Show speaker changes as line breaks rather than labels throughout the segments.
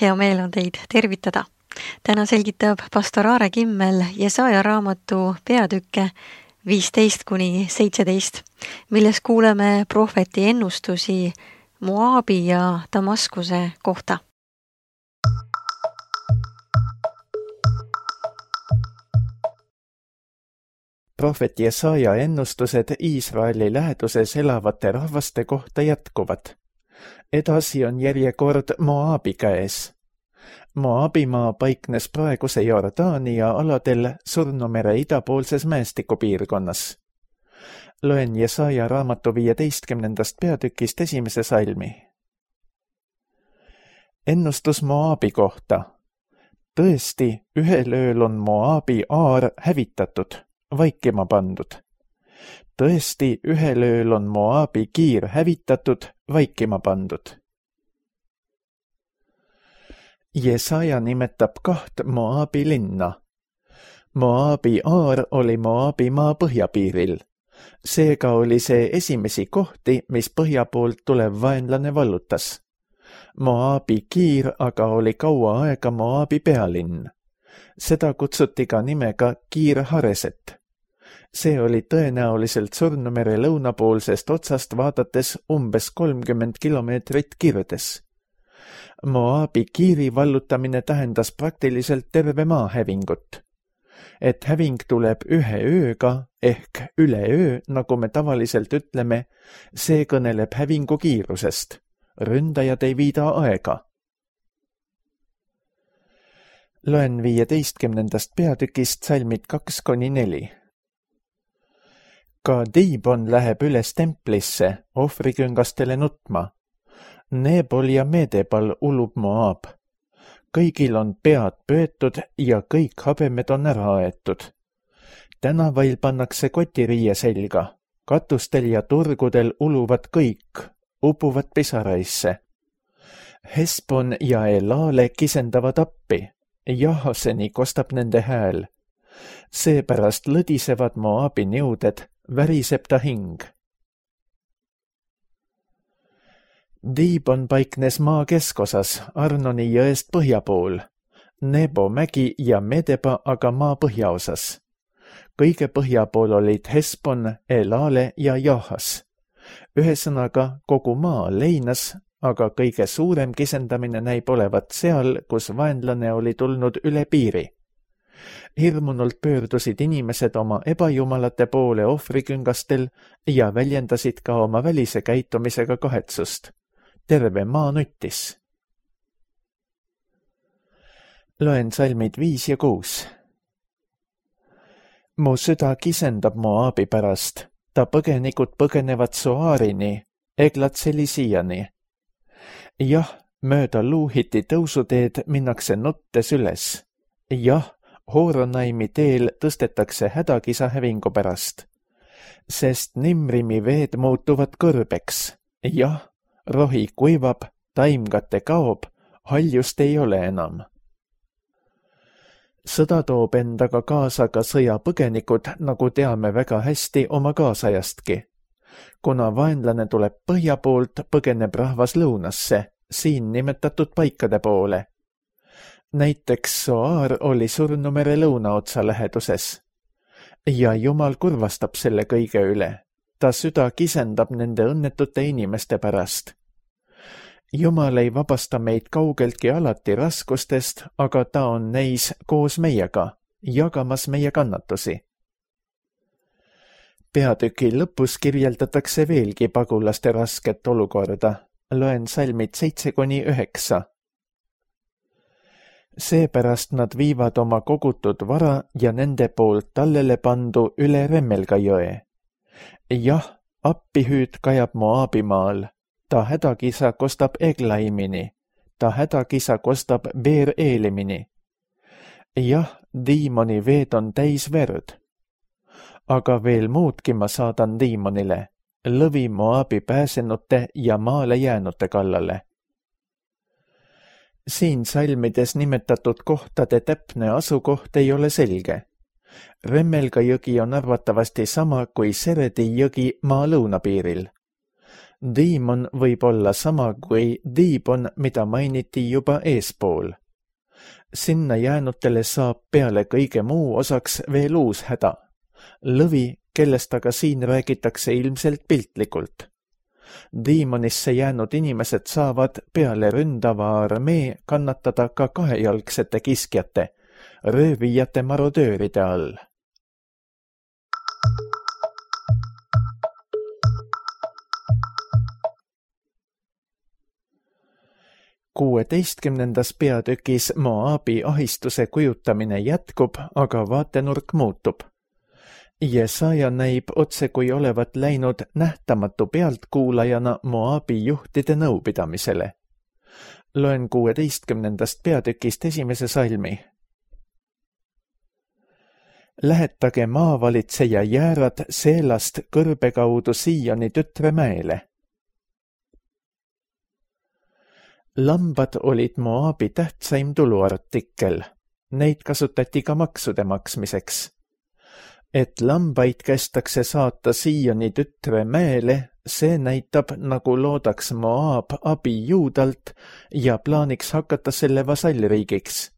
Hea meel on teid tervitada. Täna selgitab pastor Aare Kimmel Jesaja raamatu peatükke 15-17, milles kuuleme prohveti ennustusi Moabi ja Damaskuse kohta.
Prohvet Jesaja ennustused Iisraeli läheduses elavate rahvaste kohta jätkuvad. Edasi on järjekord Moabi käes. Moabimaa paiknes praeguse Jordaania aladel Surnumere idapoolses mäestikupiirkonnas. Loen Jesaja raamatu 15. peatükist 1. salmi. Ennustus Moabi kohta. Tõesti, ühel ööl on Moabi aar hävitatud, vaikima pandud. Tõesti, ühel ööl on Moabi kiir hävitatud, vaikima pandud. Jesaja nimetab 2 Moabi linna. Moabi aar oli Moabi maa põhjapiiril. Seega oli see esimesi kohti, mis põhja poolt tulev vaenlane vallutas. Moabi kiir aga oli kaua aega Moabi pealinn. Seda kutsuti ka nimega Kiir Hareset. See oli tõenäoliselt Surnumere lõunapoolsest otsast vaadates umbes 30 kilomeetrit kirdes. Moabi kiiri vallutamine tähendas praktiliselt terve maa hävingut. Et häving tuleb ühe ööga ehk üleöö, nagu me tavaliselt ütleme, see kõneleb hävingu kiirusest. Ründajad ei viida aega. Loen 15. peatükist salmid 2-4. Ka Diibon läheb üles templisse ohvriküngastele nutma. Nebol ja Medebal ulub Moab. Kõigil on pead pöetud ja kõik habemed on ära aetud. Tänavail pannakse kotiriie selga. Katustel ja turgudel uluvad kõik, upuvad pisaraisse. Hesbon ja Elale kisendavad appi. Jahaseni kostab nende hääl. Seepärast lõdisevad Moabi niuded, väriseb ta hing. Diibon paiknes maa keskosas Arnoni jõest põhja pool, Nebo mägi ja Medeba aga maa põhjaosas. Kõige põhja pool olid Hesbon, Elale ja Jahas. Ühesõnaga kogu maa leinas, aga kõige suurem kisendamine näib olevat seal, kus vaenlane oli tulnud üle piiri. Hirmunult pöördusid inimesed oma ebajumalate poole ohvriküngastel ja väljendasid ka oma välise käitumisega kahetsust. Terve maa nuttis. Loen salmid 5 ja 6. Mu süda kisendab Moabi pärast, ta põgenikud põgenevad Soaarini, Eglat-Selisiani. Jah, mööda Luuhiti tõusuteed minnakse nuttes üles. Jah, Horonaimi teel tõstetakse hädakisa hävingu pärast, sest Nimrimi veed muutuvad kõrbeks. Jah, rohi kuivab, taimkate kaob, haljust ei ole enam. Sõda toob endaga kaasa ka sõjapõgenikud, nagu teame väga hästi oma kaasajastki. Kuna vaenlane tuleb põhja poolt, põgeneb rahvas lõunasse, siin nimetatud paikade poole. Näiteks Soaar oli Surnumere lõunaotsa läheduses. Ja Jumal kurvastab selle kõige üle. Ta süda kisendab nende õnnetute inimeste pärast. Jumal ei vabasta meid kaugeltki alati raskustest, aga ta on neis koos meiega, jagamas meie kannatusi. Peatüki lõpus kirjeldatakse veelgi pagulaste rasket olukorda. Loen salmid 7-9. Seepärast nad viivad oma kogutud vara ja nende poolt tallele pandu üle Remmelga jõe. Jah, appihüüd kajab Moabi maal, ta hädakisa kostab Eglaimini, ta hädakisa kostab Beer-Eelimini. Jah, Diimoni veed on täis verd. Aga veel muudki ma saadan Diimonile, lõvi Moabi pääsenute ja maale jäänute kallale. Siin salmides nimetatud kohtade täpne asukoht ei ole selge. Remmelga jõgi on arvatavasti sama kui Seredi jõgi maa lõunapiiril. Diimon võib olla sama kui Diibon, mida mainiti juba eespool. Sinna jäänutele saab peale kõige muu osaks veel uus häda. Lõvi, kellest aga siin räägitakse ilmselt piltlikult. Diimonisse jäänud inimesed saavad peale ründava armee kannatada ka kahejalgsete kiskjate, röövijate marodööride all. Kuueteistkümnendas peatükis Moabi ahistuse kujutamine jätkub, aga vaatenurk muutub. Jesaja näib otse kui olevat läinud nähtamatu pealtkuulajana Moabi juhtide nõupidamisele. Loen 16. peatükist esimese salmi. Lähetage maavalitseja jäärad Seelast kõrbe kaudu Sioni tütremäele. Lambad olid Moabi tähtsaim tuluartikkel. Neid kasutati ka maksude maksmiseks. Et lambaid kästakse saata Sioni tütremäele, see näitab, nagu loodaks Moab abi Juudalt ja plaaniks hakata selle vasallriigiks.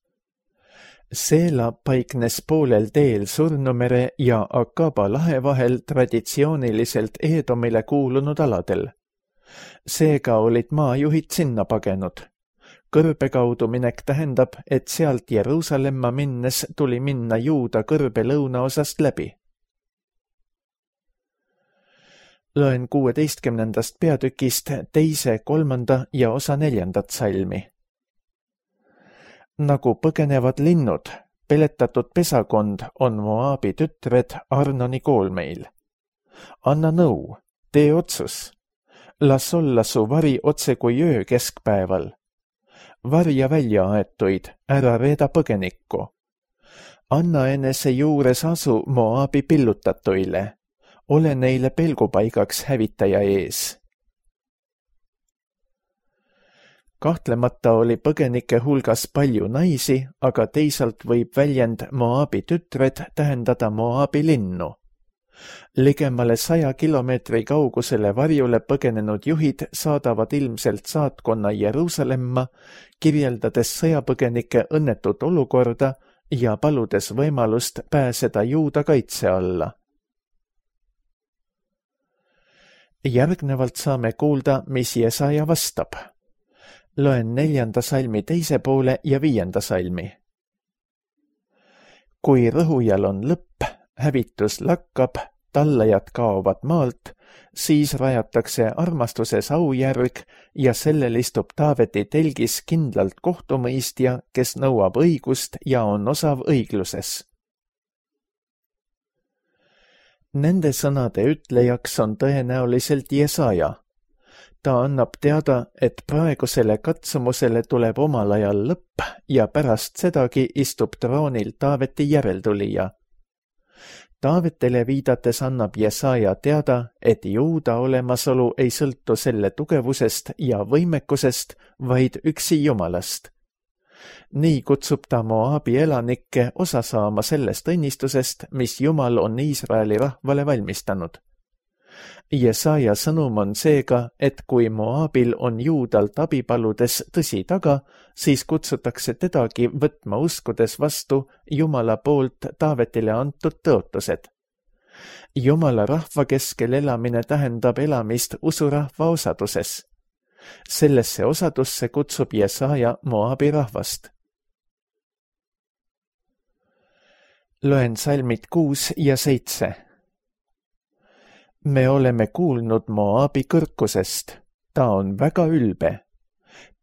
Seela paiknes poolel teel Surnumere ja Akaba lahe vahel traditsiooniliselt Eedomile kuulunud aladel. Seega olid maajuhid sinna pagenud. Kõrbe kaudu minek tähendab, et sealt Jeruusalemma minnes tuli minna Juuda kõrbe lõunaosast läbi. Loen 16. peatükist 2., 3. ja osa 4. salmi. Nagu põgenevad linnud, peletatud pesakond on Moabi tütred Arnoni koolmeil. Anna nõu, tee otsus. Las olla su vari otse kui öö keskpäeval. Varja välja aetuid, ära reeda põgenikku. Anna enese juures asu Moabi pillutatuile. Ole neile pelgupaigaks hävitaja ees. Kahtlemata oli põgenike hulgas palju naisi, aga teisalt võib väljend Moabi tütred tähendada Moabi linnu. Ligemale 100 kilomeetri kaugusele varjule põgenenud juhid saadavad ilmselt saatkonna Jeruusalemma, kirjeldades sõjapõgenike õnnetut olukorda ja paludes võimalust pääseda Juuda kaitse alla. Järgnevalt saame kuulda, mis Jesaja vastab. Loen 4. salmi 2. poole ja 5. salmi. Kui rõhujal on lõpp, hävitus lakkab, tallajad kaovad maalt, siis rajatakse armastuses aujärg ja sellel istub Taaveti telgis kindlalt kohtumõistja, kes nõuab õigust ja on osav õigluses. Nende sõnade ütlejaks on tõenäoliselt Jesaja. Ta annab teada, et praegusele katsumusele tuleb omal ajal lõpp ja pärast sedagi istub troonil Taaveti järeltulija. Taavetele viidates annab Jesaja teada, et Juuda olemasolu ei sõltu selle tugevusest ja võimekusest, vaid üksi Jumalast. Nii kutsub ta Moabi elanikke osa saama sellest õnnistusest, mis Jumal on Iisraeli rahvale valmistanud. Jesaja sõnum on seega, et kui Moabil on Juudalt abi paludes tõsi taga, siis kutsutakse tedagi võtma uskudes vastu Jumala poolt Taavetile antud tõotused. Jumala rahva keskel elamine tähendab elamist usurahva osaduses. Sellesse osadusse kutsub Jesaja Moabi rahvast. Loen salmid 6 ja 7. Me oleme kuulnud Moabi kõrkusest, ta on väga ülbe,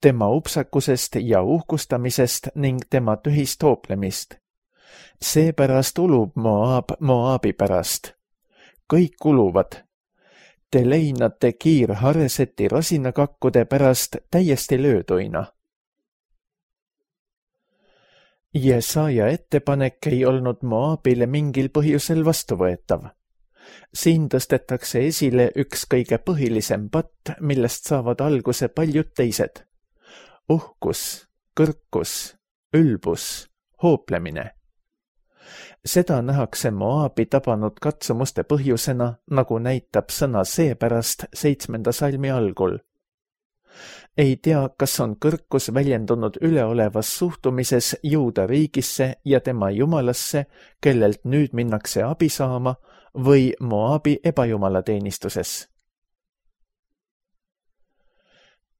tema upsakusest ja uhkustamisest ning tema tühist hooplemist. Seepärast ulub Moab Moabi pärast. Kõik uluvad. Te leinate kiirhareseti rosinakakkude pärast täiesti lööduina. Jesaja ettepanek ei olnud Moabile mingil põhjusel vastuvõetav. Siin tõstetakse esile üks kõige põhilisem patt, millest saavad alguse paljud teised. Uhkus, kõrkus, ülbus, hooplemine. Seda nähakse Moabi tabanud katsumuste põhjusena, nagu näitab sõna seepärast 7. salmi algul. Ei tea, kas on kõrkus väljendunud üleolevas suhtumises Juuda riigisse ja tema jumalasse, kellelt nüüd minnakse abi saama, või Moabi ebajumalateenistuses.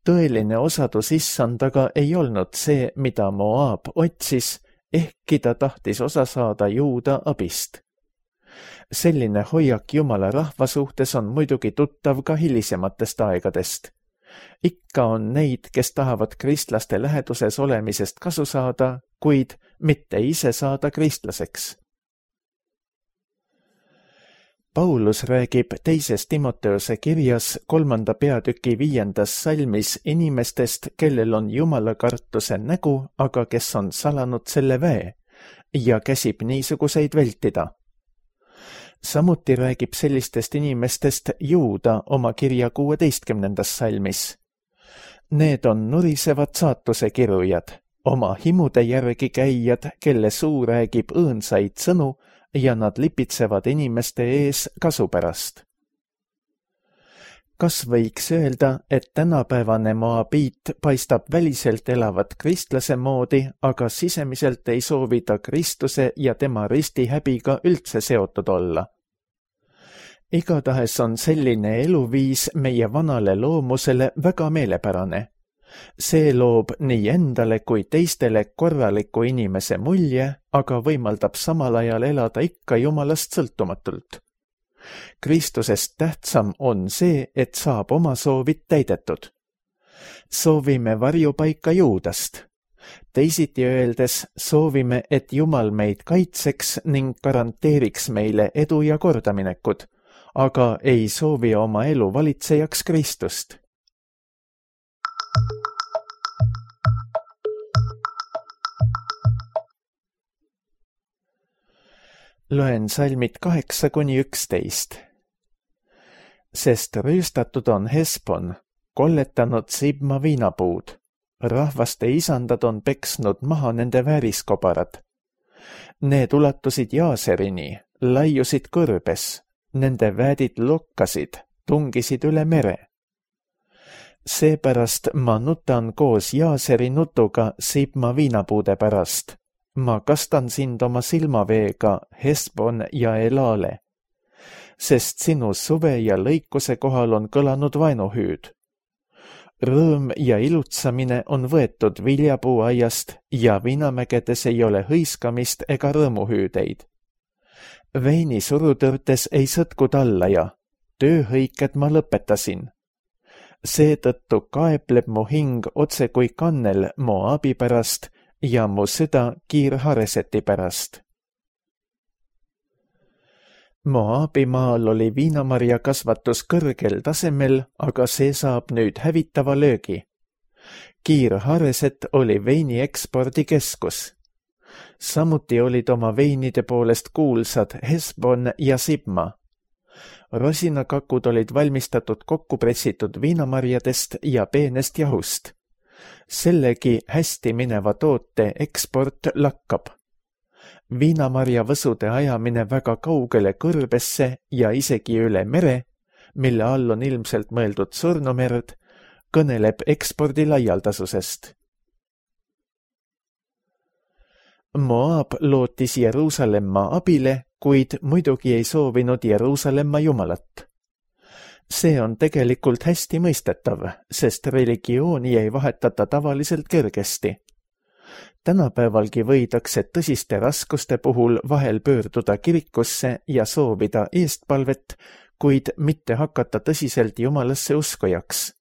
Tõeline osadus issandaga ei olnud see, mida Moab otsis, ehkki ta tahtis osa saada Juuda abist. Selline hoiak Jumala rahva suhtes on muidugi tuttav ka hilisematest aegadest. Ikka on neid, kes tahavad kristlaste läheduses olemisest kasu saada, kuid mitte ise saada kristlaseks. Paulus räägib 2. Timoteuse kirjas 3. peatüki 5. salmis inimestest, kellel on Jumala kartuse nägu, aga kes on salanud selle väe ja käsib niisuguseid vältida. Samuti räägib sellistest inimestest Juuda oma kirja 16. salmis. Need on nurisevad saatuse kirujad, oma himude järgi käijad, kelle suu räägib õõnsaid sõnu ja nad lipitsevad inimeste ees kasu pärast. Kas võiks öelda, et tänapäevane Moabiit paistab väliselt elavat kristlase moodi, aga sisemiselt ei soovi ta Kristuse ja tema ristihäbiga üldse seotud olla? Igatahes on selline eluviis meie vanale loomusele väga meelepärane. See loob nii endale kui teistele korraliku inimese mulje, aga võimaldab samal ajal elada ikka Jumalast sõltumatult. Kristusest tähtsam on see, et saab oma soovid täidetud. Soovime varjupaika Juudast. Teisiti öeldes soovime, et Jumal meid kaitseks ning garanteeriks meile edu ja kordaminekud, aga ei soovi oma elu valitsejaks Kristust. Loen salmid 8-11. Sest rüüstatud on Hesbon, kolletanud Sibma viinapuud. Rahvaste isandad on peksnud maha nende vääriskobarad. Need ulatusid Jaaserini, laiusid kõrbes, nende väädid lokkasid, tungisid üle mere. Seepärast ma nutan koos Jaaseri nutuga Sibma viinapuude pärast. Ma kastan sind oma silmaveega, Hesbon ja Elale, sest sinu suve ja lõikuse kohal on kõlanud vaenuhüüd. Rõõm ja ilutsamine on võetud viljapuuaiast ja viinamägedes ei ole hõiskamist ega rõõmuhüüdeid. Veini surutõrtes ei sõtku tallaja, tööhõiked ma lõpetasin. Seetõttu kaepleb mu hing otse kui kannel Moabi pärast ja mu süda Kiir-Hareseti pärast. Moabi maal oli viinamarja kasvatus kõrgel tasemel, aga see saab nüüd hävitava löögi. Kiir-Hareset oli veini ekspordikeskus. Samuti olid oma veinide poolest kuulsad Hesbon ja Sibma. Rosinakakud olid valmistatud kokkupressitud viinamarjadest ja peenest jahust. Sellegi hästi mineva toote eksport lakkab. Viinamarja võsude ajamine väga kaugele kõrbesse ja isegi üle mere, mille all on ilmselt mõeldud Surnumerd, kõneleb ekspordi laialdasusest. Moab lootis Jeruusalemma abile, kuid muidugi ei soovinud Jeruusalemma Jumalat. See on tegelikult hästi mõistetav, sest religiooni ei vahetata tavaliselt kergesti. Tänapäevalgi võidakse tõsiste raskuste puhul vahel pöörduda kirikusse ja soovida eestpalvet, kuid mitte hakata tõsiselt Jumalasse uskujaks.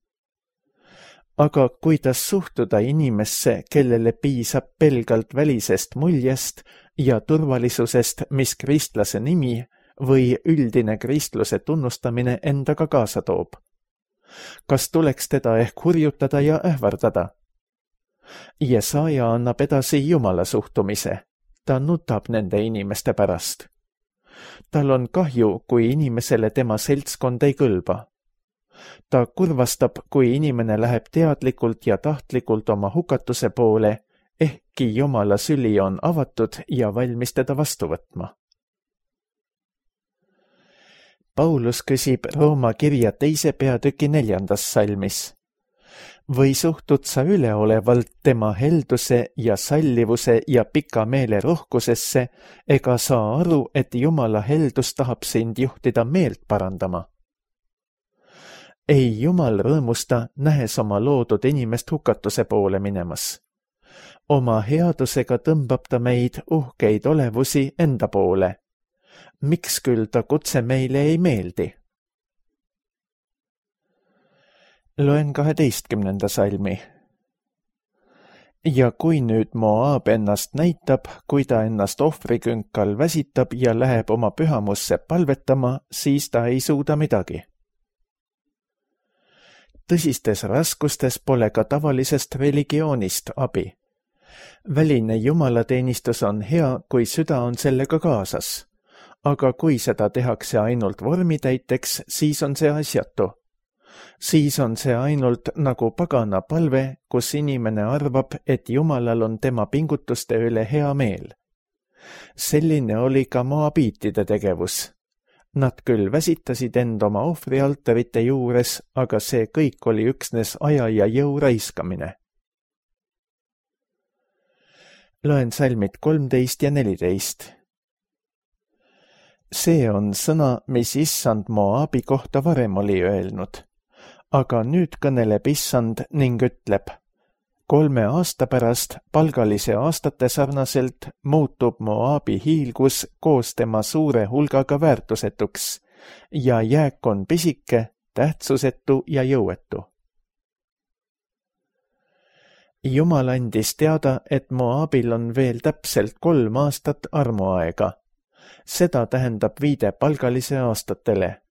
Aga kuidas suhtuda inimesse, kellele piisab pelgalt välisest muljest ja turvalisusest, mis kristlase nimi või üldine kristluse tunnustamine endaga kaasa toob? Kas tuleks teda ehk hurjutada ja ähvardada? Jesaja annab edasi Jumala suhtumise. Ta nutab nende inimeste pärast. Tal on kahju, kui inimesele tema seltskond ei kõlba. Ta kurvastab, kui inimene läheb teadlikult ja tahtlikult oma hukatuse poole, ehkki Jumala süli on avatud ja valmis teda vastu võtma. Paulus küsib Rooma kirja 2. peatüki 4. salmis. Või suhtud sa üleolevalt tema helduse ja sallivuse ja pika meele rohkusesse, ega saa aru, et Jumala heldus tahab sind juhtida meelt parandama? Ei Jumal rõõmusta, nähes oma loodud inimest hukatuse poole minemas. Oma headusega tõmbab ta meid uhkeid olevusi enda poole. Miks küll ta kutse meile ei meeldi? Loen 12. salmi. Ja kui nüüd Moab ennast näitab, kui ta ennast ohvrikünkal väsitab ja läheb oma pühamusse palvetama, siis ta ei suuda midagi. Tõsistes raskustes pole ka tavalisest religioonist abi. Väline jumalateenistus on hea, kui süda on sellega kaasas. Aga kui seda tehakse ainult vormitäiteks, siis on see asjatu. Siis on see ainult nagu pagana palve, kus inimene arvab, et Jumalal on tema pingutuste üle hea meel. Selline oli ka moabiitide tegevus. Nad küll väsitasid end oma ohvrialtarite juures, aga see kõik oli üksnes aja ja jõu raiskamine. Loen salmid 13 ja 14. See on sõna, mis Issand Moabi kohta varem oli öelnud. Aga nüüd kõneleb Issand ning ütleb, 3 aasta pärast palgalise aastate sarnaselt muutub Moabi hiilgus koos tema suure hulgaga väärtusetuks ja jääk on pisike, tähtsusetu ja jõuetu. Jumal andis teada, et Moabil on veel täpselt 3 aastat armuaega. Seda tähendab viide palgalise aastatele.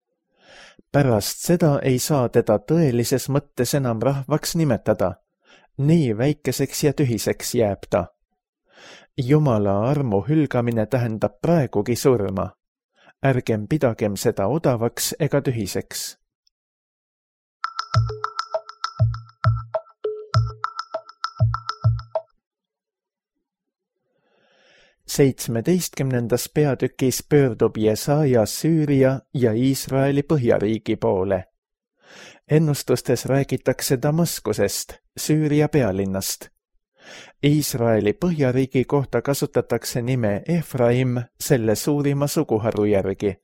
Pärast seda ei saa teda tõelises mõttes enam rahvaks nimetada. Nii väikeseks ja tühiseks jääb ta. Jumala armu hülgamine tähendab praegugi surma. Ärgem pidagem seda odavaks ega tühiseks. Seitsmeteistkümnendas peatükis pöördub Jesaja Süüria ja Iisraeli põhjariigi poole. Ennustustes räägitakse Damaskusest, Süüria pealinnast. Iisraeli põhjariigi kohta kasutatakse nime Efraim selle suurima suguharu järgi.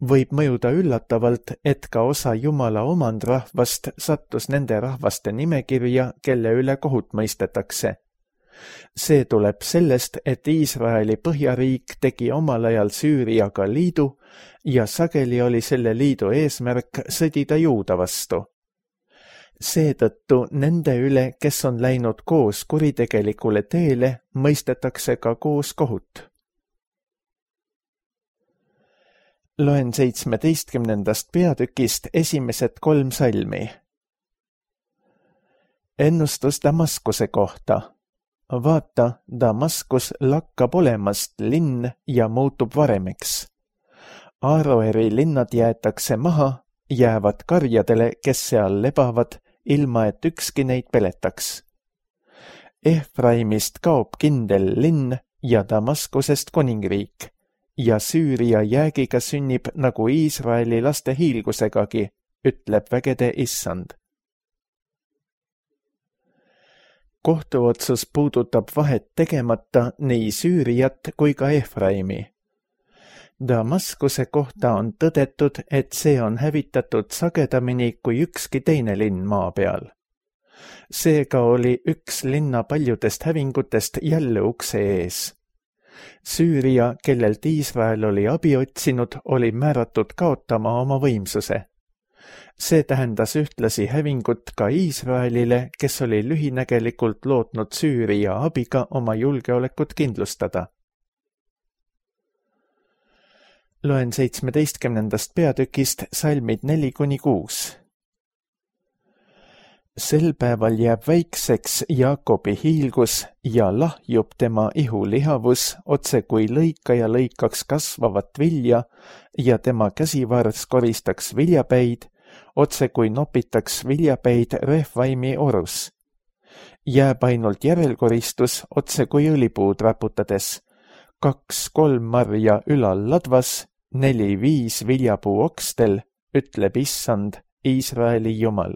Võib mõjuda üllatavalt, et ka osa Jumala omandrahvast sattus nende rahvaste nimekirja, kelle üle kohut mõistetakse. See tuleb sellest, et Iisraeli põhjariik tegi omal ajal Süüriaga liidu ja sageli oli selle liidu eesmärk sõdida Juuda vastu. Seetõttu nende üle, kes on läinud koos kuritegelikule teele, mõistetakse ka koos kohut. Loen 17. peatükist esimesed 3 salmi. Ennustus Damaskuse kohta. Vaata, Damaskus lakkab olemast linn ja muutub varemeks. Aaroeri linnad jäetakse maha, jäävad karjadele, kes seal lebavad, ilma et ükski neid peletaks. Efraimist kaob kindel linn ja Damaskusest kuningriik ja Süüria jäägiga sünnib nagu Iisraeli laste hiilgusegagi, ütleb vägede Issand. Kohtuotsus puudutab vahet tegemata nii Süüriat kui ka Efraimi. Damaskuse kohta on tõdetud, et see on hävitatud sagedamini kui ükski teine linn maa peal. Seega oli üks linna paljudest hävingutest jälle ukse ees. Süüria, kellelt Iisrael oli abi otsinud, oli määratud kaotama oma võimsuse. See tähendas ühtlasi hävingut ka Iisraelile, kes oli lühinägelikult lootnud Süüria abiga oma julgeolekut kindlustada. Loen 17. peatükist salmid 4-6. Sel päeval jääb väikseks Jaakobi hiilgus ja lahjub tema ihulihavus, otse kui lõikaja lõikaks kasvavat vilja ja tema käsivars koristaks viljapäid, otse kui nopitaks viljapäid Refvaimi orus. jääb ainult järelkoristus otse kui õlipuud raputades, 2-3 marja ülal ladvas, 4-5 viljapuu okstel, ütleb Issand, Iisraeli Jumal.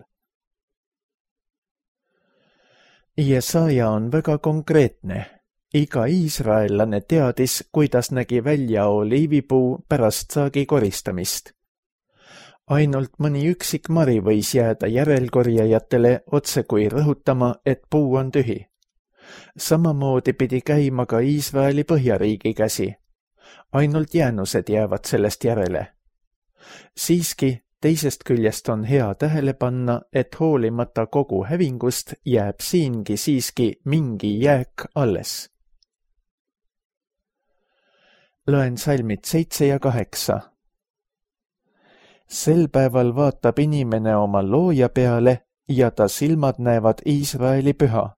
Jesaja on väga konkreetne. Iga iisraellane teadis, kuidas nägi välja oliivipuu pärast saagi koristamist. Ainult mõni üksik mari võis jääda järelkorjajatele otse kui rõhutama, et puu on tühi. Samamoodi pidi käima ka Iisraeli põhjariigi käsi. Ainult jäänused jäävad sellest järele. Siiski, teisest küljest on hea tähele panna, et hoolimata kogu hävingust jääb siingi siiski mingi jääk alles. Loen salmid 7 ja 8. Sel päeval vaatab inimene oma looja peale ja ta silmad näevad Iisraeli püha.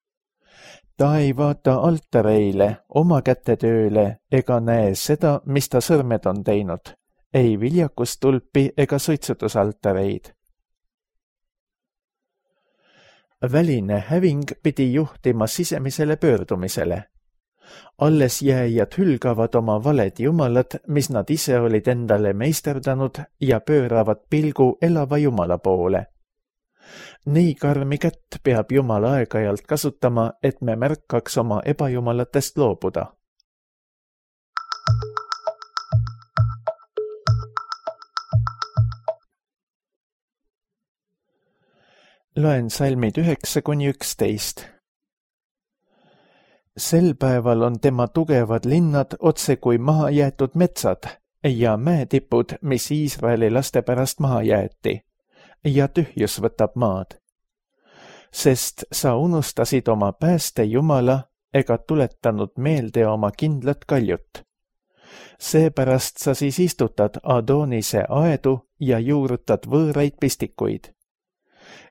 Ta ei vaata altareile, oma kätetööle ega näe seda, mis ta sõrmed on teinud, ei viljakustulpi ega suitsutusaltareid. Väline häving pidi juhtima sisemisele pöördumisele. Alles jääjad hülgavad oma valed jumalad, mis nad ise olid endale meisterdanud ja pööravad pilgu elava Jumala poole. Nii karmi kätt peab Jumal aeg-ajalt kasutama, et me märkaks oma ebajumalatest loobuda. Loen salmid 9-11. Sel päeval on tema tugevad linnad otse kui maha jäetud metsad ja mäetipud, mis Iisraeli laste pärast maha jäeti, ja tühjus võtab maad. Sest sa unustasid oma pääste Jumala ega tuletanud meelde oma kindlat kaljut. Seepärast sa siis istutad Adonise aedu ja juurutad võõraid pistikuid.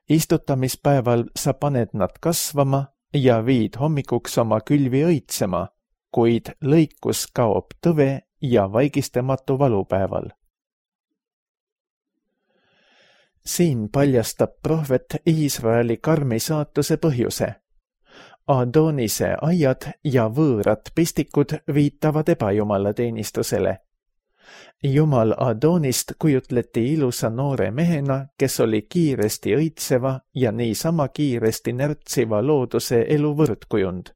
Istutamispäeval sa paned nad kasvama ja viid hommikuks oma külvi õitsema, kuid lõikus kaob tõve ja vaigistamatu valupäeval. Siin paljastab prohvet Iisraeli karmi saatuse põhjuse. Adonise aiad ja võõrad pistikud viitavad ebajumala teenistusele. Jumal Adonist kujutleti ilusa noore mehena, kes oli kiiresti õitseva ja niisama kiiresti närtsiva looduse elu võrdkujund.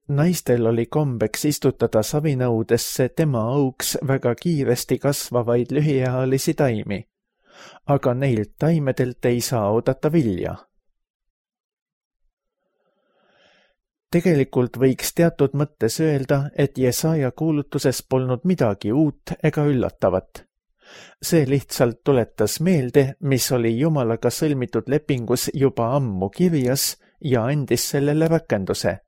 Naistel oli kombeks istutada savinõudesse tema auks väga kiiresti kasvavaid lühiealisi taimi, aga neilt taimedelt ei saa oodata vilja. Tegelikult võiks teatud mõttes öelda, et Jesaja kuulutuses polnud midagi uut ega üllatavat. See lihtsalt tuletas meelde, mis oli Jumalaga sõlmitud lepingus juba ammu kirjas ja andis sellele rakenduse.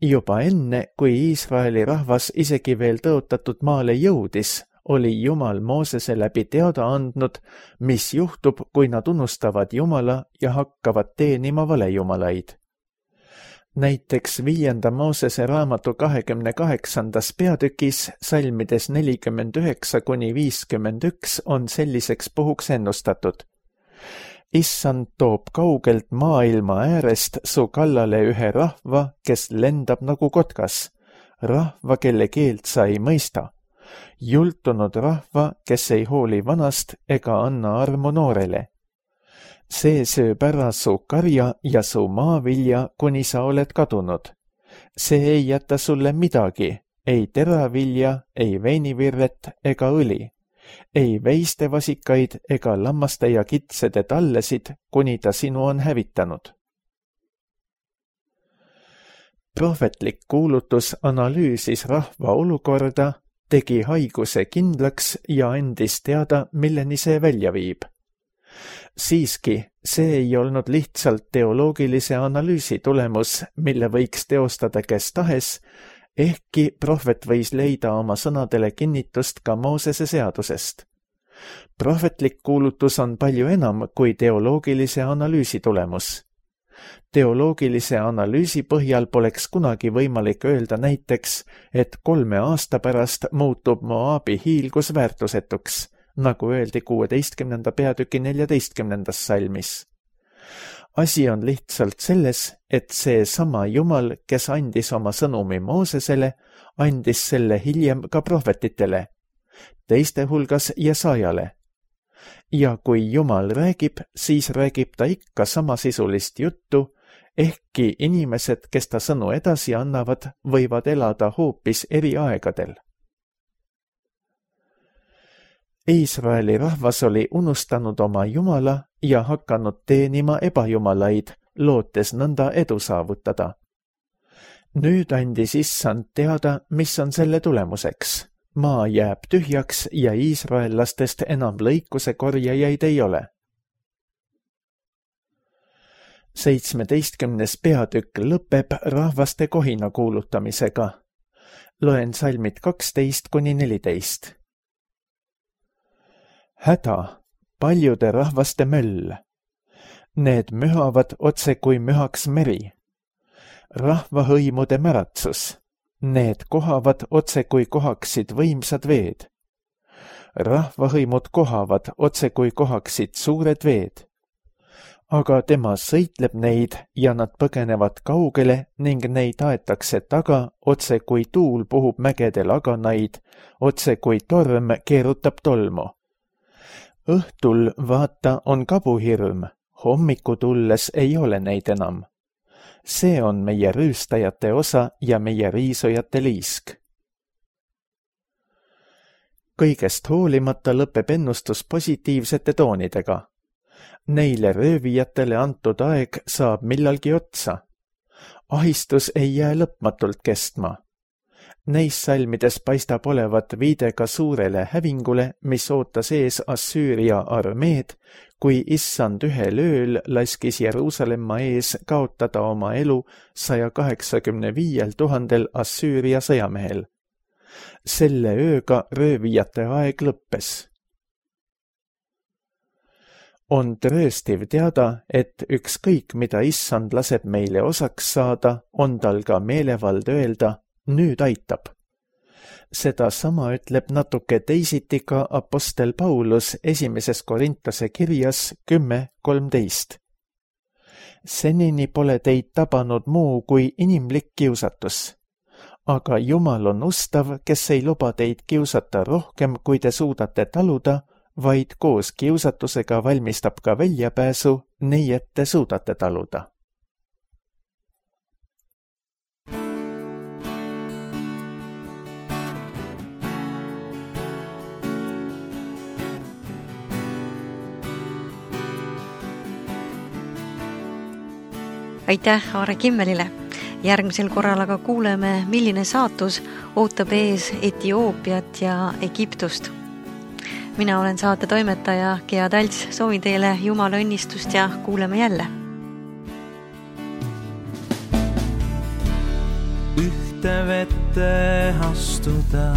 Juba enne, kui Iisraeli rahvas isegi veel tõotatud maale jõudis, oli Jumal Moosese läbi teada andnud, mis juhtub, kui nad unustavad Jumala ja hakkavad teenima valejumalaid. Näiteks 5. Moosese raamatu 28. peatükis salmides 49-51 on selliseks puhuks ennustatud. Issand toob kaugelt maailma äärest su kallale ühe rahva, kes lendab nagu kotkas, rahva, kelle keelt sa ei mõista, jultunud rahva, kes ei hooli vanast ega anna armu noorele. See sööb ära su karja ja su maavilja, kuni sa oled kadunud. See ei jäta sulle midagi, ei teravilja, ei veinivirret ega õli, ei veistevasikaid ega lammaste ja kitsede tallesid, kuni ta sinu on hävitanud. Prohvetlik kuulutus analüüsis rahva olukorda, tegi haiguse kindlaks ja andis teada, milleni see välja viib. Siiski, see ei olnud lihtsalt teoloogilise analüüsi tulemus, mille võiks teostada kes tahes, ehkki prohvet võis leida oma sõnadele kinnitust ka Moosese seadusest. Prohvetlik kuulutus on palju enam kui teoloogilise analüüsi tulemus. Teoloogilise analüüsi põhjal poleks kunagi võimalik öelda näiteks, et 3 aasta pärast muutub Moabi hiilgus väärtusetuks, nagu öeldi 16. peatüki 14. salmis. Asi on lihtsalt selles, et see sama Jumal, kes andis oma sõnumi Moosesele, andis selle hiljem ka prohvetitele, teiste hulgas Jesajale. Ja kui Jumal räägib, siis räägib ta ikka samasisulist juttu, ehkki inimesed, kes ta sõnu edasi annavad, võivad elada hoopis eri aegadel. Iisraeli rahvas oli unustanud oma Jumala ja hakanud teenima ebajumalaid, lootes nõnda edu saavutada. Nüüd andis Issand teada, mis on selle tulemuseks. Maa jääb tühjaks ja iisraellastest enam lõikuse korjajaid ei ole. 17. peatükk lõpeb rahvaste kohina kuulutamisega. Loen salmid 12-14. Häda, paljude rahvaste möll. Need mühavad otse kui mühaks meri. Rahvahõimude märatsus. Need kohavad otse kui kohaksid võimsad veed. Rahvahõimud kohavad otse kui kohaksid suured veed. Aga tema sõitleb neid ja nad põgenevad kaugele ning neid aetakse taga otse kui tuul puhub mägede laganaid, otse kui torm keerutab tolmu. Õhtul vaata on kabuhirm, hommiku tulles ei ole neid enam. See on meie rüüstajate osa ja meie riisujate liisk. Kõigest hoolimata lõpeb ennustus positiivsete toonidega. Neile röövijatele antud aeg saab millalgi otsa. Ahistus ei jää lõpmatult kestma. Neis salmides paistab olevat viide ka suurele hävingule, mis ootas ees Assüüria armeed, kui Issand ühel ööl laskis Jeruusalemma ees kaotada oma elu 185 000 Assüüria sõjamehel. Selle ööga röövijate aeg lõppes. On trööstiv teada, et ükskõik mida Issand laseb meile osaks saada, on tal ka meelevald öelda, nüüd aitab. Seda sama ütleb natuke teisiti ka apostel Paulus 1. Korintase kirjas 10:13. Senini pole teid tabanud muu kui inimlik kiusatus. Aga Jumal on ustav, kes ei luba teid kiusata rohkem, kui te suudate taluda, vaid koos kiusatusega valmistab ka väljapääsu, nii et te suudate taluda.
Aitäh Aare Kimmelile. Järgmisel korral aga kuuleme, milline saatus ootab ees Etioopiat ja Egiptust. Mina olen saate toimetaja Gea Talts, soovin teile Jumala õnnistust ja kuuleme jälle.
Ühte vette astuda,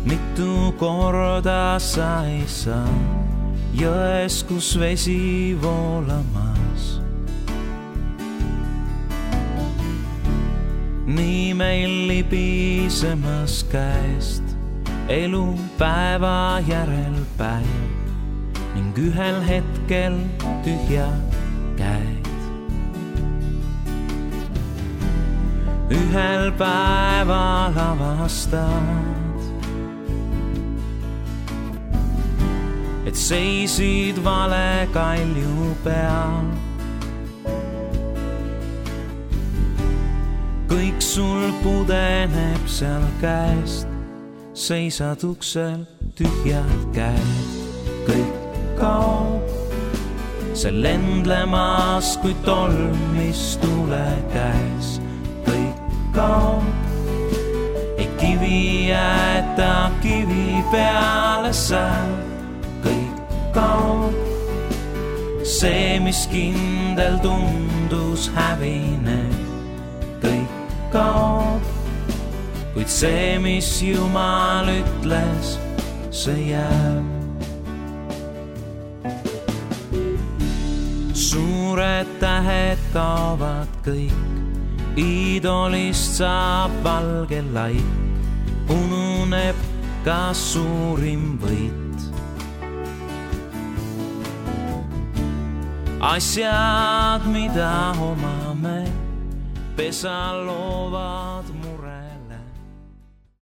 mitu korda sa ei saa, jões, kus vesi voolamas. Nii meil libisemas käest elu päeva järel päev ning ühel hetkel tühjad käed. Ühel päeval avastad, et seisid vale kalju peal. Kõik sul pudeneb seal käest, seisad uksel tühjad käed. Kõik kaob, see lendlemas kui tolm, mis tule käes. Kõik kaob, ei kivi jäeta kivi peale seal. Kõik kaob, see, mis kindel tundus hävineb. Kõik kaob, kuid see, mis Jumal ütles, see jääb. Suured tähed kaovad kõik, iidolist saab valge laik, ununeb ka suurim võit. asjad, mida omame, pesa loovad